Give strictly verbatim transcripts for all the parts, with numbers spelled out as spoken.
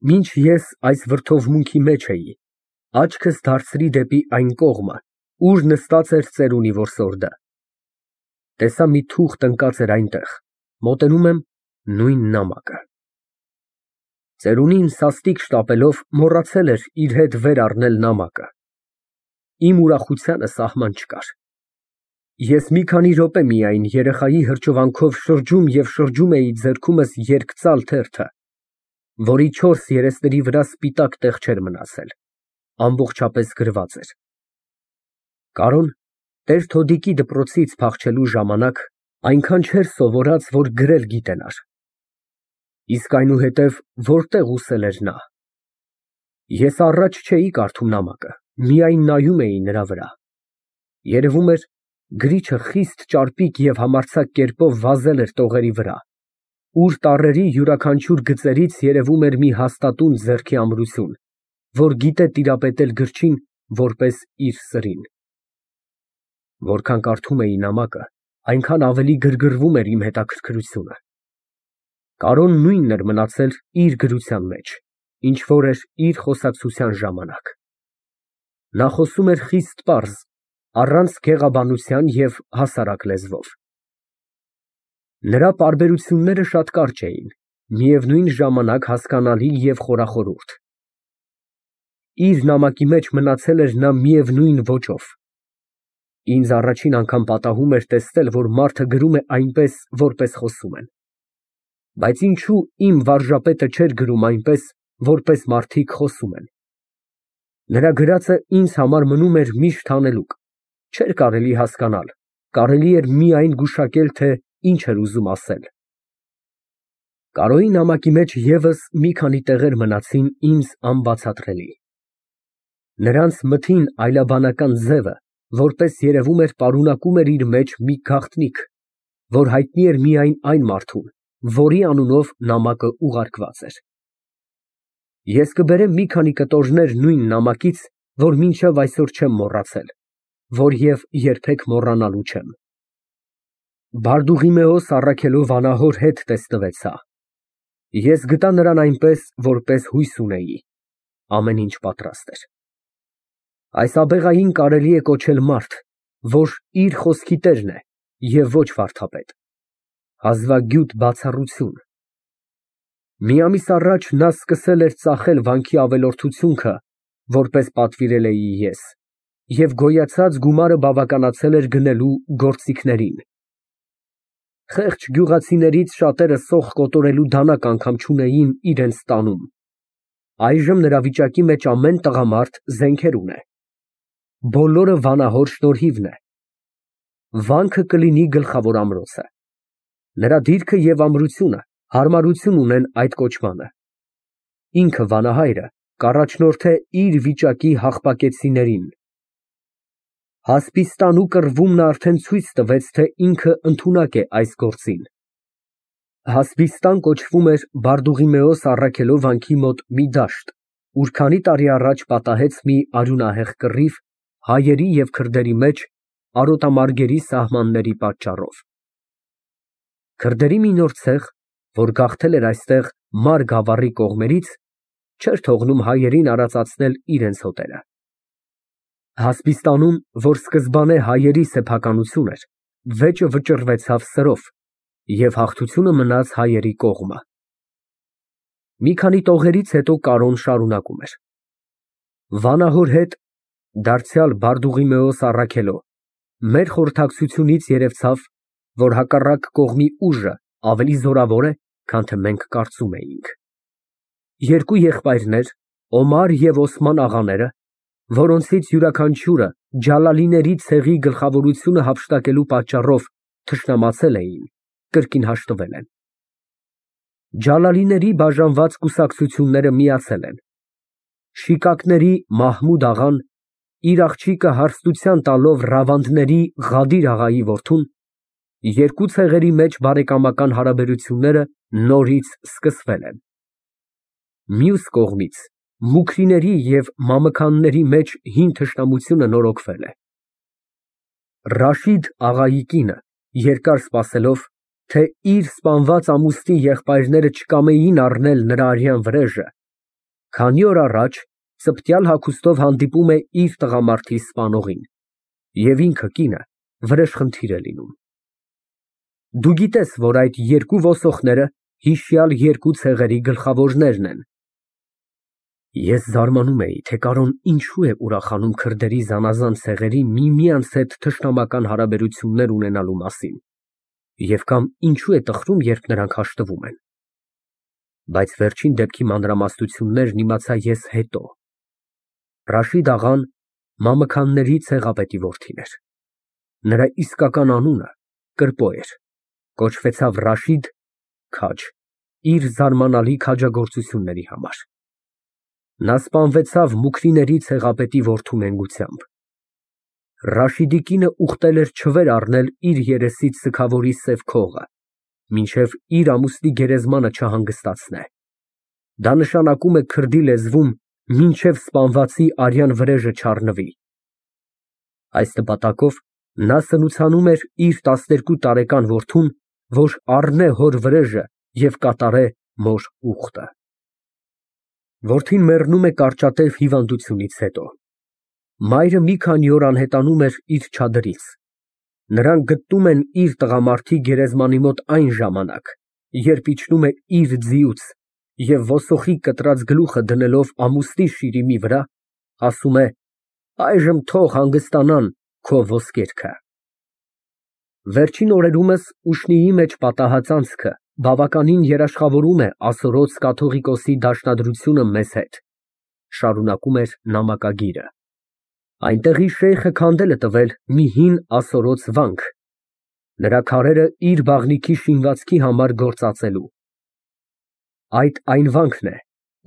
Մինչ ես այս վրդովմունքի մեջ էի, աչքս դարձրի դեպի այն կողմը, ուր նստած էր ծերունի որսորդը, տեսա մի թուղթ ընկած էր այնտեղ, մոտենում եմ, նույն նամակը։ Ծերունին սաստիկ շտապելով մոռացել էր իր հետ վեր առնել նամակը։ Իմ ուրախությանը սահման չկար։ Ես մի քանի րոպե միայն երեխայի հրճվանքով շրջում և շրջում էի ձեռքումս երկծալ թերթը, որի չորս երեսների վրա սպիտակ տեղ չէր մնացել, ամբողջապես գրված էր. Կարոն տեր֊թոդիկի դպրոցից փախչելու ժամանակ այնքան չէր սովորած, որ գրել գիտենար, իսկ այնուհետև որտեղ ուսել էր նա։ Ես առաջ չէի կարդում նամակը, միայն նայում էի նրա վրա։ Երևում էր, գրիչը խիստ ճարպիկ և համարձակ կերպով վազել էր տողերի վրա, ուր տառերի յուրաքանչյուր գծերից երևում էր մի հաստատուն ձեռքի ամրություն, որ գիտե տիրապետել գրչին որպես իր սրին։ Որքան կարդում էի նամակը, այնքան ավելի գրգռվում էր իմ հետաքրքրությունը։ Կարոն նույնն էր մնացել իր գրության մեջ, ինչ որ էր իր խոսակցության ժամանակ։ Նա խոսում էր խիստ պարզ, առանց գեղաբանության և հասարակ լեզվով։ Նրա պարբերությունները շատ կարճ էին, միևնույն ժամանակ հասկանալի և խորախորհուրդ։ Իր նամակի մեջ մնացել էր նա միևնույն ոճով։ Ինձ առաջին անգամ պատահում էր տեսնել, որ մարդը գրում է այնպես, որպես խոսում են։ Բայց ինչո՞ւ իմ վարժապետը չէր գրում այնպես, որպես մարդիկ խոսում են։ Նրա գրածը ինձ համար մնում էր միշտ հանելուկ, չէր կարելի հասկանալ, կարելի էր միայն գուշակել, թե ինչ էր ուզում ասել։ Կարոյի նամակի մեջ ևս մի քանի տեղեր մնացին ինձ անբացատրելի։ Նրանց մթին այլաբանական ձևը, որպես երևում էր, պարունակում էր իր մեջ մի գաղտնիք, որ հայտնի էր միայն այն մարդուն, որի անունով նամակը ուղարկված էր։ Ես կբերեմ մի քանի կտորներ նույն նամակից, որ մինչև այսօր չեմ մոռացել, որ և երբեք մոռանալու չեմ։ Բարդուղիմեոս Առաքելով անահոր հետ տեսնվեցա։ Ես գտա նրան այնպես, որպես հույս ունեի, ամեն ինչ պատրաստ էր։ Այս աբեղային կարելի է կոչել մարդ, որ իր խոսքի տերն է և ոչ վարդապետ, հազվագյուտ բացառություն։ Մի ամիս առաջ նա սկսել էր ծախել վանքի ավելորդությունքը, որպես պատվիրել էի ես, և գոյացած գումարը բավականացել էր գնելու գործիքներին։ Խեղճ գյուղացիներից շատերը սոխ կոտորելու դանակ անգամ չունեին իրենց տանում։ Այժմ նրա վիճակի մեջ ամեն տղամարդ զենքեր ունե։ Բոլորը վանահոր շնորհիվն է։ Վանքը կլինի գլխավոր ամրոցը։ Նրա դիրքը և ամրությունը հարմարություն ունեն այդ կոչմանը։ Ինքը վանահայրը կառաջնորդե իր վիճակի հաղպակեցիներին։ Հասպիստանու կռվումն արդեն ցույց տվեց, թե ինքը ընդունակ է այս գործին։ Հասպիստան կոչվում էր Բարդուղիմեոս Առաքելով վանքի մոտ մի դաշտ, ուր քանի տարի առաջ պատահեց մի արյունահեղ կռիվ հայերի և քրդերի մեջ արոտամարգերի սահմանների պատճառով։ Քրդերի մի նոր ցեղ, որ գաղթել էր այստեղ Մար գավառի կողմերից, չէր թողնում հայերին արածացնել իրենց հոտերը։ Հասպիստանում, որ սկզբանե հայերի սեփականություն էր, վեճը վճռվեցավ սրով, և հաղթությունը մնաց հայերի կողմը։ Մի քանի տողերից հետո Կարոն շարունակում էր. Վանահոր հետ, դարձյալ Բարդուղիմեոս Առաքելո, մեր խորհրդակցությունից երևցավ, որ հակառակ կողմի ուժը ավելի զորավոր է, քան թե մենք կարծում էինք։ Երկու եղբայրներ, Օմար և Օսման աղաները, որոնցից յուրաքանչյուրը Ջալալիների ցեղի գլխավորությունը հափշտակելու պատճառով թշնամացել էին, կրկին հաշտվել են։ Ջալալիների բաժանված կուսակցությունները միացել են։ Շիկակների Մահմուդ աղան, իր աղջիկը հարստության տալով Ռավանդների Ղադիր աղայի որդուն, երկու ցեղերի մեջ բարեկամական հարաբերությունները նորից սկսվել են։ Մյուս կողմից, մուքրիների և մամքանների մեջ հին թշնամությունը նորոգվել է։ Ռաշիդ աղայի կինը, երկար սպասելով, թե իր սպանված ամուսնի եղբայրները չկամեին առնել նրա արյան վրեժը, Քանի օր առաջ ծպտյալ հագուստով հանդիպում է իր տղամարդի սպանողին և ինքը կինը վրեժխնդիր է լինում։ Դու գիտես, որ այդ երկու ոսողները հիշյալ երկու ցեղերի գլխավորներն են։ Ես զարմանում էի, թե Կարոն ինչու է ուրախանում քրդերի զանազան ցեղերի միմյանց հետ թշնամական հարաբերություններ ունենալու մասին և կամ ինչու է տխրում, երբ նրանք հաշտվում են։ Բայց վերջին դեպքի մանրամասնություններն իմացա ես հետո։ Ռաշիդ աղան Մամաքանների ցեղապետի որդին էր։ Նրա իսկական անունը կրպո էր, կոչվեցավ Ռաշիդ (քաջ) իր զարմանալի քաջագործությունների համար։ Նա սպանվեցավ Մուքրիների ցեղապետի որդու նենգությամբ։ Ռաշիդի կինը ուխտել էր չվեր առնել իր երեսից սգավորի սև քողը, մինչև իր ամուսնի գերեզմանը չհանգստացնե։ Դա նշանակում է քրդի լեզվում մինչև սպանվածի արյան վրեժը չառնվի։ Այս նպատակով նա սնուցանում էր իր տասներկու տարեկան որդուն, որ առնե հոր վրեժը և կատարե մոր ուխտը։ Որդին մեռնում է կարճատև հիվանդությունից հետո։ Մայրը մի քանի օր անհետանում էր իր չադրից։ Նրանք գտնում են իր տղամարդի գերեզմանի մոտ այն ժամանակ, երբ իջնում է իր ձիուց և ոսոխի կտրած գլուխը դնելով ամուսնի շիրիմի վրա, ասում է. «Այժմ թող հանգստանան քո ոսկերքը»։ Վերջին օրերումս ուշնիի մեջ պատահած անցքը բավականին երաշխավորում է ասորոց կաթողիկոսի դաշնադրությունը մեզ հետ, շարունակում էր նամակագիրը։ Այնտեղի շեյխը քանդել է տվել մի հին ասորոց վանք, նրա քարերը իր բաղնիքի շինվածքի համար գործածելու։ Այդ այն վանքն է,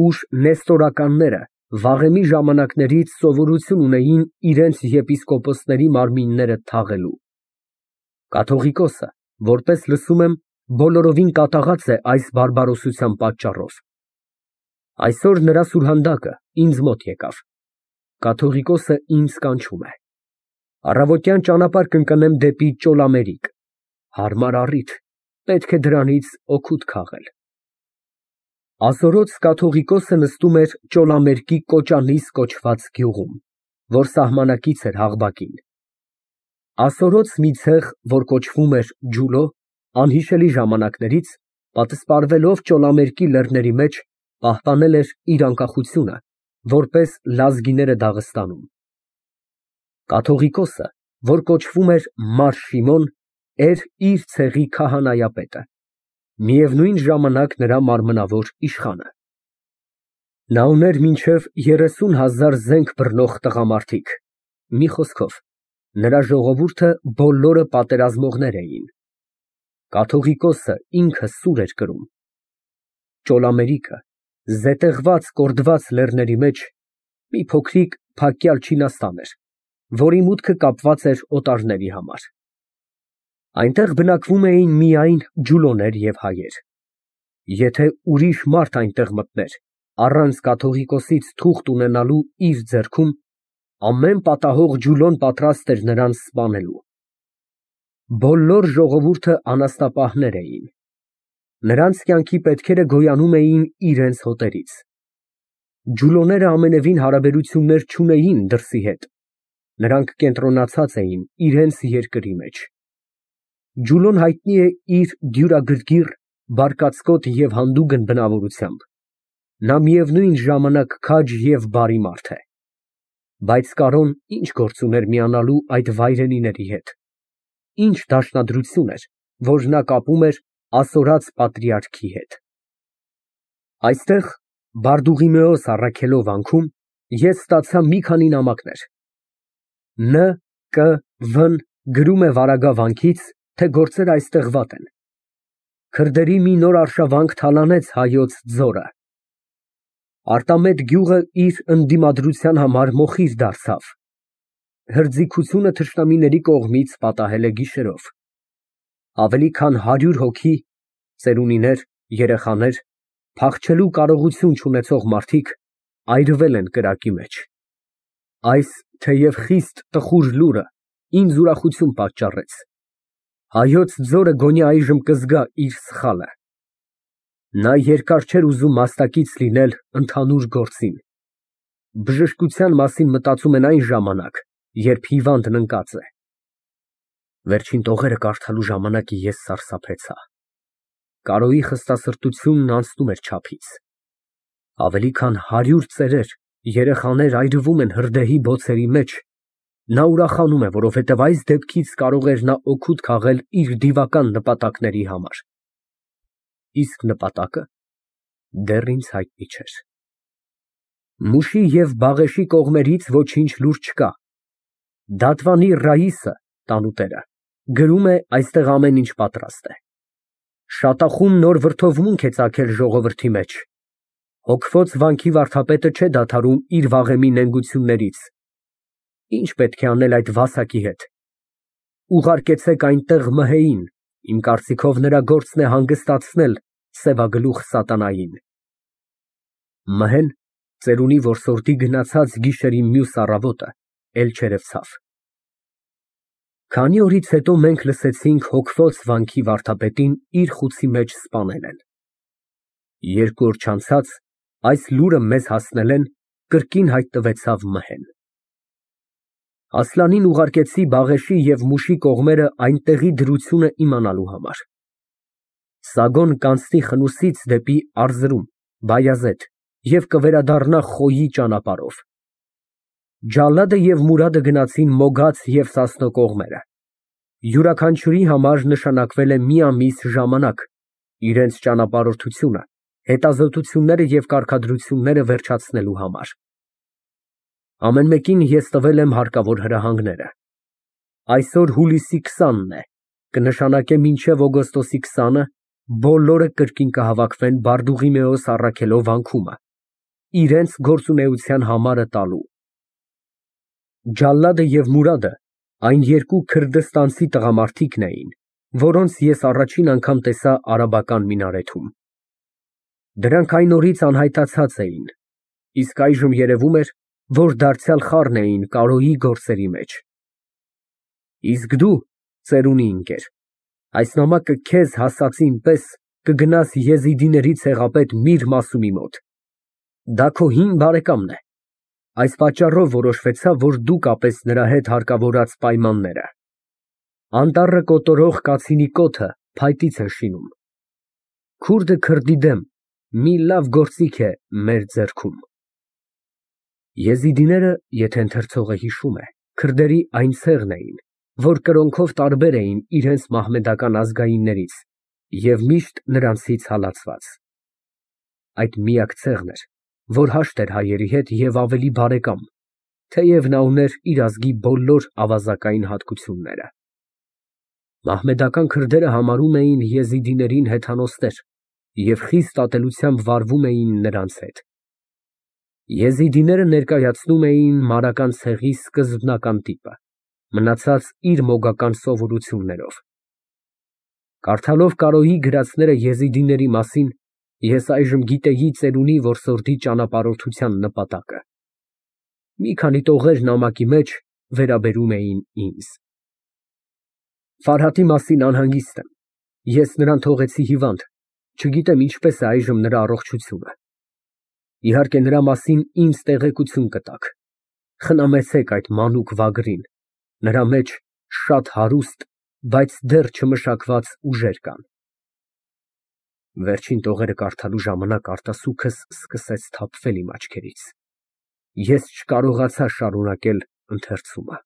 ուր նեստորականները վաղեմի ժամանակներից սովորություն ունեին իրենց եպիսկոպոսների մարմինները թաղելու։ Կաթողիկոսը, որպես լսում եմ, բոլորովին կատաղած է այս բարբարոսության պատճառով։ Այսօր նրա սուրհանդակը ինձ մոտ եկավ։ Կաթողիկոսը ինձ կանչում է։ Առավոտյան ճանապարհ կընկնեմ դեպի Ճոլամերիկ։ Հարմար առիթ, պետք է դրանից օգուտ քաղել։ Ասորոց կաթողիկոսը նստում էր Ճոլամերկի Կոճանիս կոչված գյուղում, որ սահմանակից էր Հաղբակին։ Ասորոց մի ցեղ, որ կոչվում էր Ջուլո, անհիշելի ժամանակներից, պատսպարվելով Ճոլամերկի լեռների մեջ, պահպանել էր իր անկախությունը, որպես լազգիները Դաղստանում։ Կաթողիկոսը, որ կոչվում էր Մար Շիմոն, էր իր ցեղի քահանայապետը, միևնույն ժամանակ նրա մարմնավոր իշխանը։ Նա ուներ մինչև երեսուն հազար զենք բռնող տղամարդիկ, մի խոսքով, նրա ժողովուրդը բոլորը պատերազմողներ էին։ Կաթողիկոսը ինքը սուր էր կրում։ Ճոլամերիկը, զետեղված, կորդված լեռների մեջ, մի փոքրիկ փակյալ չինաստան էր, որի մուտքը կապված էր օտարների համար։ Այնտեղ բնակվում էին միայն ջուլոներ և հայեր։ Եթե ուրիշ մարդ այնտեղ մտներ, առանց կաթողիկոսից թուղթ ունենալու իր ձեռքում, ամեն պատահող ջուլոն պատրաստ էր նրան սպանելու։ Բոլոր ժողովուրդը անասնապահներ էին։ Նրանց կյանքի պետքերը գոյանում էին իրենց հոտերից։ Ջուլոները ամենևին հարաբերություններ չունեին դրսի հետ, նրանք կենտրոնացած էին իրենց երկրի մեջ։ Ջուլոն հայտնի է իր դյուրագրգիռ, բարկացկոտ և հանդուգն բնավորությամբ, նա միևնույն ժամանակ քաջ և բարի մարդ է։ Բայց Կարոն ինչ գործ ուներ միանալու այդ վայրենիների հետ, ինչ դաշնադրություն էր, որ նա կապում էր ասորաց պատրիարքի հետ։ Այստեղ, Բարդուղիմեոս առաքելով վանքում, ես ստացա մի քանի նամակներ։ Ն. Կ. Վ.-ն գրում է վարագա վանքից, թե գործերը այստեղ վատ են։ Քրդերի մի նոր արշավանք թալանեց հայոց ձորը։ Արտամետ գյուղը իր ընդդիմադրության համար մոխիր դարձավ։ Հրձիգությունը թշնամիների կողմից պատահել է գիշերով։ Ավելի քան հարյուր հոգի, ծերունիներ, երեխաներ, փախչելու կարողություն չունեցող մարդիկ այրվել են կրակի մեջ։ Այս, թեև խիստ տխուր լուրը ինձ ուրախություն պատճառեց։ Հայոց ձորը գոնե այժմ կզգա իր սխալը։ Նա երկար չէր ուզում մասնակից լինել ընդհանուր գործին։ Բժշկության մասին մտածում են այն ժամանակ, երբ հիվանդն ընկած է։ Վերջին տողերը կարդալու ժամանակ ես սարսափեցա։ Կարոյի խստասրտությունն անցնում էր չափից։ Ավելի քան հարյուր ծերեր, երեխաներ այրվում են հրդեհի բոցերի մեջ, նա ուրախանում է, որովհետև այս դեպքից կարող էր նա օգուտ քաղել իր դիվական նպատակների համար։ Իսկ նպատակը դեռ ինձ հայտնի չէր։ Մուշի և Բաղեշի կողմերից ոչինչ լուր չկա։ Դատվանի Ռաիսը (տանուտերը) գրում է այստեղ ամեն ինչ պատրաստ է։ Շատախում նոր վրդովմունք է ծագել ժողովրդի մեջ։ Հոգվոց վանքի վարդապետը չէ դադարում իր վաղեմի նենգություններից։ Ինչ պետք է անել այդ վասակի հետ։ Ուղարկեցեք այնտեղ Մհեին, իմ կարծիքով նրա գործն է հանգստացնել սևագլուխ սատանային։ Մհեն ծերունի որսորդի գնացած գիշերի մյուս առավոտը էլ չերևցավ։ Քանի օրից հետո մենք լսեցինք հոգվոց վանքի վարդապետին իր խուցի մեջ սպանել են։ Երկու օր չանցած այս լուրը մեզ հասնել են, կրկին հայտնվեցավ Մհեն։ Ասլանին ուղարկեցի Բաղեշի և Մուշի կողմերը այնտեղի դրությունը իմանալու համար։ Սագոն կանցնի Խնուսից դեպի Արզրում, Բայազեդ և կվերադառնա Խոյի ճանապարհով։ Ջալադը և Մուրադը գնացին Մոգաց և Սասնո կողմերը։ Յուրաքանչյուրի համար նշանակվել է մի ամիս ժամանակ, իրենց ճանապարհորդությունը, հետազոտությունները և կարգադրությունները վերջացնելու համար։ Ամեն մեկին ես տվել եմ հարկավոր հրահանգները։ Այսօր հուլիսի քսանն է, կնշանակե մինչև օգոստոսի քսանը բոլորը կրկին կհավաքվեն Բարդուղիմեոս առաքելով վանքումը, իրենց գործունեության համարը տալու։ Ջալադը և Մուրադը այն երկու քրդստանցի տղամարդիկն էին, որոնց ես առաջին անգամ տեսա արաբական մինարեթում։ Դրանք այն օրից անհայտացած էին, իսկ այժմ երևում էր, որ դարձյալ խառն էին Կարոյի գործերի մեջ։ Իսկ դու, ծերունի ընկեր, այս նամակը քեզ հասածին պես կգնաս եզիդիների ցեղապետ Միր Մասումի մոտ։ Դա քո հին բարեկամն է։ Այս պատճառով որոշվեցավ, որ դու կապես նրա հետ հարկավորած պայմանները։ Անտառը կոտորող կացինի կոթը փայտից է շինում։ Քուրդը քրդի դեմ մի լավ գործիք է մեր ձեռքում։ Եզիդիները, եթե ընթերցողը հիշում է, քրդերի այն ցեղն էին, որ կրոնքով տարբեր էին իրենց մահմեդական ազգայիններից և միշտ նրանցից հալածված։ Այդ միակ ցեղն էր, որ հաշտ էր հայերի հետ և ավելի բարեկամ, թեև նա ուներ իր ազգի բոլոր ավազակային հատկությունները։ Մահմեդական քրդերը համարում էին եզիդիներին հեթանոսներ և խիստ ատելությամբ վարվում էին նրանց հետ։ Եզիդիները ներկայացնում էին մարական ցեղի սկզբնական տիպը, մնացած իր մոգական սովորություններով։ Կարդալով Կարոյի գրածները եզիդիների մասին, ես այժմ գիտեի ծերունի որսորդի ճանապարհորդության նպատակը։ Մի քանի տողեր նամակի մեջ վերաբերում էին ինձ։ Ֆարհատի մասին անհանգիստ եմ։ Ես նրան թողեցի հիվանդ, չգիտեմ ինչպես է այժմ նրա առողջությունը։ Իհարկե նրա մասին ինձ տեղեկություն կտաք։ Խնամեցեք այդ մանուկ վագրին, նրա մեջ շատ հարուստ, բայց դեռ չմշակված ուժեր կան։ Վերջին տողերը կարդալու ժամանակ արտասուքս սկսեց թափվել իմ աչքերից։ Ես չկարողացա շարունակել ընթերցումը։